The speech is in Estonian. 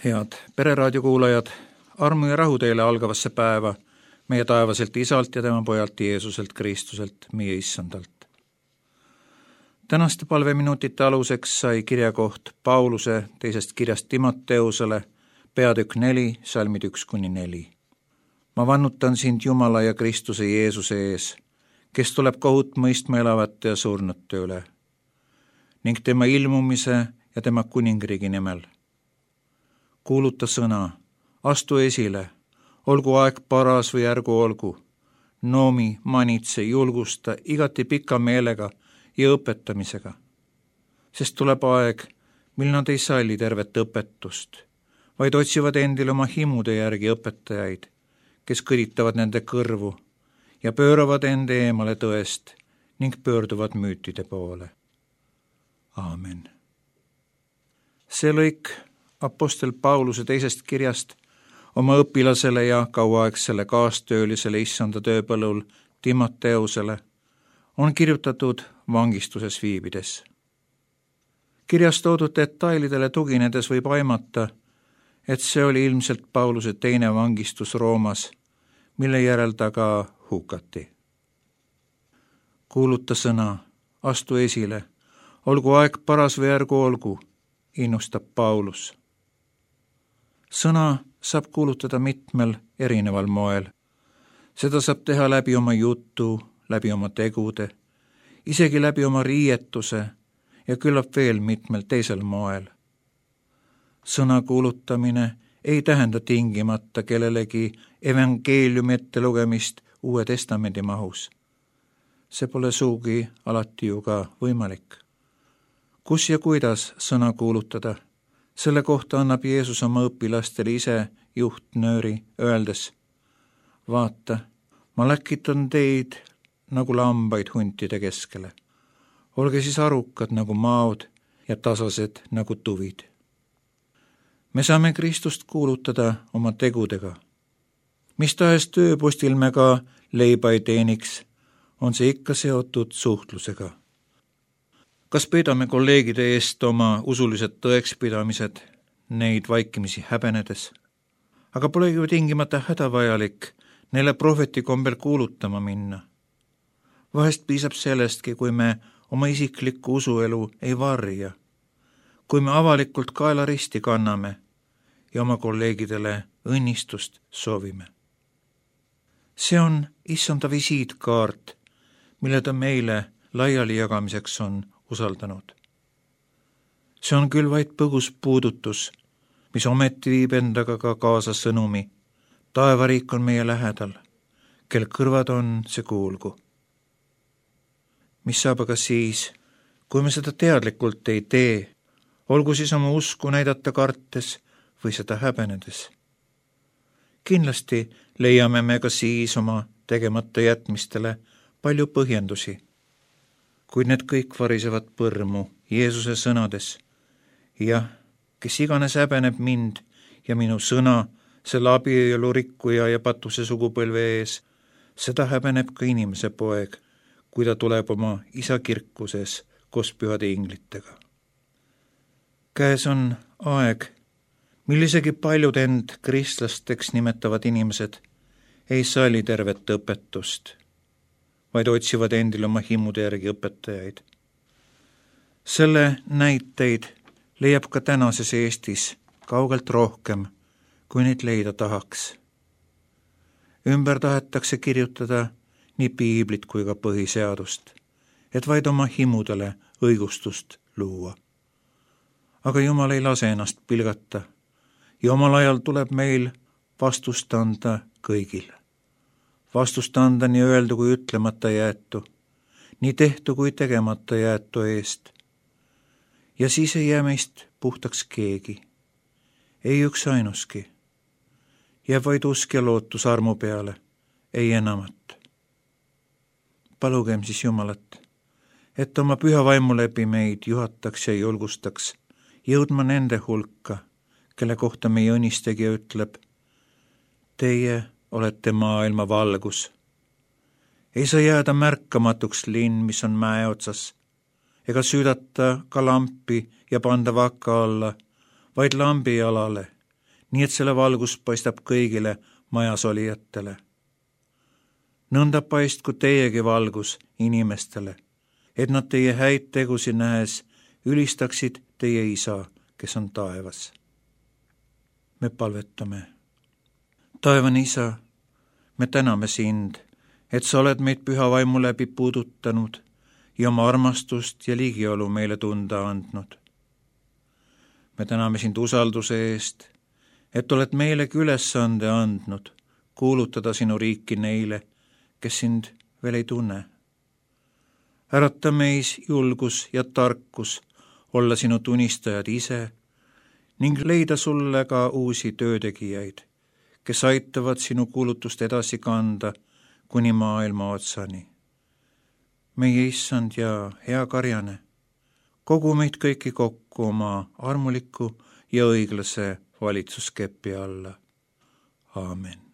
Head Pereraadio kuulajad, armu ja rahu teile algavasse päeva meie taevaselt Isalt ja tema pojalt Jeesuselt Kristuselt, meie Issandalt. Tänaste palveminutite aluseks sai kirjakoht Pauluse teisest kirjast Timoteusele, peatükk 4, salmid 1-4. Ma vannutan sind Jumala ja Kristuse Jeesuse ees, kes tuleb kohut mõistma elavate ja surnute üle, ning tema ilmumise ja tema kuningriigi nimel. Kuuluta sõna, astu esile, olgu aeg paras või ärgu olgu, noomi, manitse, julgusta igati pika meelega ja õpetamisega. Sest tuleb aeg, mil nad ei salli tervet õpetust, vaid otsivad endile oma himude järgi õpetajaid, kes kõditavad nende kõrvu ja pööravad ende eemale tõest ning pöörduvad müütide poole. Aamen. See lõik apostel Pauluse teisest kirjast oma õpilasele ja kauaaegsele kaastöölisele Issanda tööpõllul Timoteusele on kirjutatud vangistuses viibides. Kirjas toodud detailidele tuginedes võib aimata, et see oli ilmselt Pauluse teine vangistus Roomas, mille järel ta ka hukati. Kuuluta sõna, astu esile, olgu aeg paras või ärgu olgu, innustab Paulus. Sõna saab kuulutada mitmel erineval moel. Seda saab teha läbi oma jutu, läbi oma tegude, isegi läbi oma riietuse ja küllap veel mitmel teisel moel. Sõna kuulutamine ei tähenda tingimata kellelegi evangeeliumi ettelugemist Uue Testamendi mahus. See pole sugugi alati ju ka võimalik. Kus ja kuidas sõna kuulutada? Selle kohta annab Jeesus oma õpilastele ise juhtnööri, öeldes: vaata, ma läkitan teid nagu lambaid huntide keskele. Olge siis arukad nagu maod ja tasased nagu tuvid. Me saame Kristust kuulutada oma tegudega. Mis tahes tööpostil me ka leiba ei teeniks, on see ikka seotud suhtlusega. Kas peidame kolleegide eest oma usulised tõekspidamised, neid vaikimisi häbenedes? Aga pole ju tingimata hädavajalik neile prohveti kombel kuulutama minna. Vahest piisab sellestki, kui me oma isiklikku usuelu ei varja, kui me avalikult kaela risti kanname ja oma kolleegidele õnnistust soovime. See on Issanda visiitkaart, mille ta meile laiali jagamiseks on usaldanud. See on küll vaid põgus puudutus, mis ometi viib endaga ka kaasa sõnumi. Taevariik on meie lähedal, kel kõrvad on, see kuulgu. Mis saab aga siis, kui me seda teadlikult ei tee, olgu siis oma usku näidata kartes või seda häbenedes? Kindlasti leiame me ka siis oma tegemata jätmistele palju põhjendusi, kuid need kõik varisevad põrmu Jeesuse sõnades. Jah, kes iganes häbeneb mind ja minu sõna selle abielu rikkuja ja patuse sugupõlve ees, seda häbeneb ka inimese poeg, kui ta tuleb oma isa kirkuses koos pühade inglitega. Käes on aeg, mil isegi paljud end kristlasteks nimetavad inimesed ei salli tervet õpetust, vaid otsivad endile oma himude järgi õpetajaid. Selle näiteid leiab ka tänases Eestis kaugelt rohkem, kui neid leida tahaks. Ümber tahetakse kirjutada nii piiblit kui ka põhiseadust, et vaid oma himudele õigustust luua. Aga Jumal ei lase ennast pilgata ja omal ajal tuleb meil vastust anda kõigil. Vastust anda nii öeldu kui ütlemata jäetu, nii tehtu kui tegemata jäetu eest. Ja siis ei jää meist puhtaks keegi, ei üks ainuski. Jääb vaid usk ja lootus armu peale, ei enamat. Palugem siis Jumalat, et oma püha vaimu läbi meid juhataks ja julgustaks jõudma nende hulka, kelle kohta meie õnnistegija ütleb: teie olete maailma valgus. Ei saa jääda märkamatuks linn, mis on mäe otsas, ega süüdata ka lampi ja panda vaka alla, vaid lambi jalale nii et selle valgus paistab kõigile majas olijatele. Nõnda paistku teiegi valgus inimestele, et nad teie häid tegusid nähes ülistaksid teie isa, kes on taevas. Me palvetame. Taevane isa, me täname sind, et sa oled meid püha vaimu läbi puudutanud ja oma armastust ja ligiolu meile tunda andnud. Me täname sind usalduse eest, et oled meilegi ülesande andnud kuulutada sinu riiki neile, kes sind veel ei tunne. Ärata meis julgus ja tarkus olla sinu tunnistajad ise ning leida sulle ka uusi töötegijaid, kes aitavad sinu kuulutust edasi kanda kuni maailma otsani. Meie issand ja hea karjane, kogu meid kõiki kokku oma armuliku ja õiglase valitsuskepi alla. Aamen.